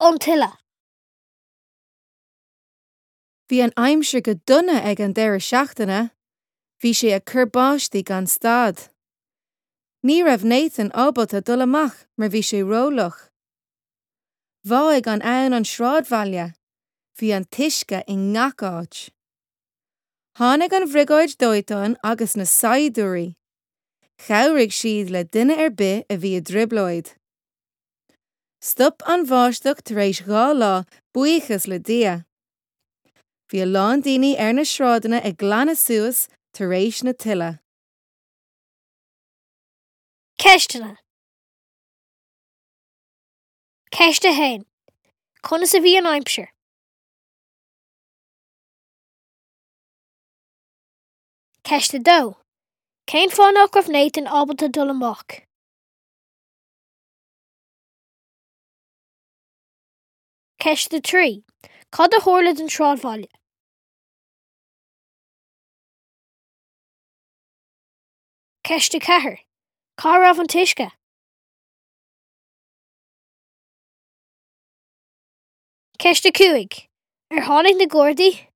An tuile. Bhí an aimsir go dona ag an deireadh seachtaine. Bhí sé ag cur báistí gan stad. Ní raibh Nathan ábalta dul amach mar bhí sé ró-fhliuch. Bháigh an abhainn an sráidbhaile. Bhí an t-uisce i ngach áit. Tháinig an bhriogáid dóiteáin agus na saighdiúirí. Chabhraigh siad le duine ar bith a bhí i dtrioblóid. Stop an bháisteach tar éis 2 lá, buíochas le Dia. Bhí a lán daoine ar na sráideanna ag glanadh suas tar éis na tuile. Ceisteanna. Ceist 1. Conas a bhí an aimsir? Ceist 2. Cén fáth nach raibh Nathan ábalta dul amach? Ceist 3. Cad a tharla don sráidbhaile? Ceist 4. Cá raibh an t-uisce? Ceist 5. Ar tháinig na Gardaí?